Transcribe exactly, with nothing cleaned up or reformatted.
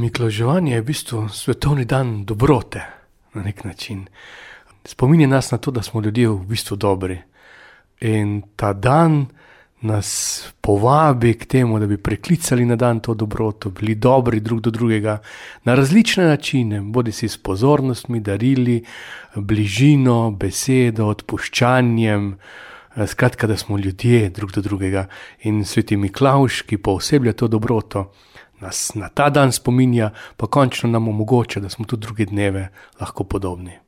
Miklavževanje je v bistvu svetovni dan dobrote na nek način. Spominja nas na to, da smo ljudje v bistvu dobri. In ta dan nas povabi k temu, da bi preklicali na dan to dobroto, bili dobri drug do drugega na različne načine, bodisi s pozornostmi, darili, bližino, besedo, odpuščanjem, skratka, da smo ljudje drug do drugega. In sveti Miklavž, ki pooseblja to dobroto, nas na ta dan spominja, pa končno nam omogoča, da smo tudi druge dneve lahko podobni.